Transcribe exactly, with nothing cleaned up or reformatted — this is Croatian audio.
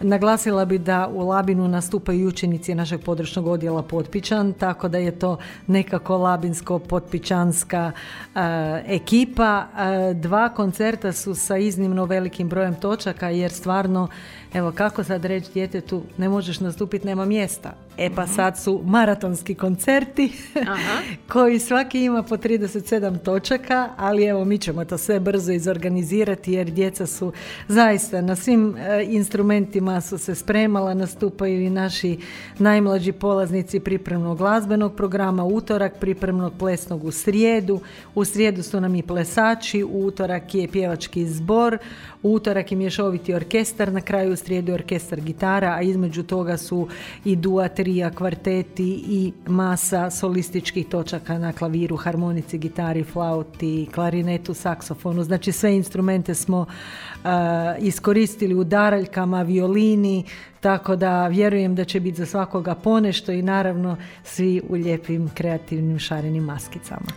Naglasila bi da u Labinu nastupaju učenici našeg područnog odjela Potpičan, tako da je to nekako labinsko-potpičanska uh, ekipa. Uh, dva koncerta su sa iznimno velikim brojem točaka, jer stvarno, evo kako sad reći djetetu, ne možeš nastupiti, nema mjesta. E pa sad su maratonski koncerti Aha. koji svaki ima po trideset sedam točaka, ali evo mi ćemo to sve brzo izorganizirati, jer djeca su zaista na svim e, instrumentima su se spremala, nastupaju i naši najmlađi polaznici pripremnog glazbenog programa, utorak pripremnog plesnog u srijedu, u srijedu su nam i plesači, u utorak je pjevački zbor, u utorak je mješoviti orkestar, na kraju u srijedu orkestar gitara, a između toga su i duo, trija, kvarteti i masa solističkih točaka na klaviru, harmonici, gitari, flauti, klarinetu, saksofonu. Znači sve instrumente smo uh, iskoristili u daraljkama, violini, tako da vjerujem da će biti za svakoga ponešto i naravno svi u lijepim kreativnim šarenim maskicama.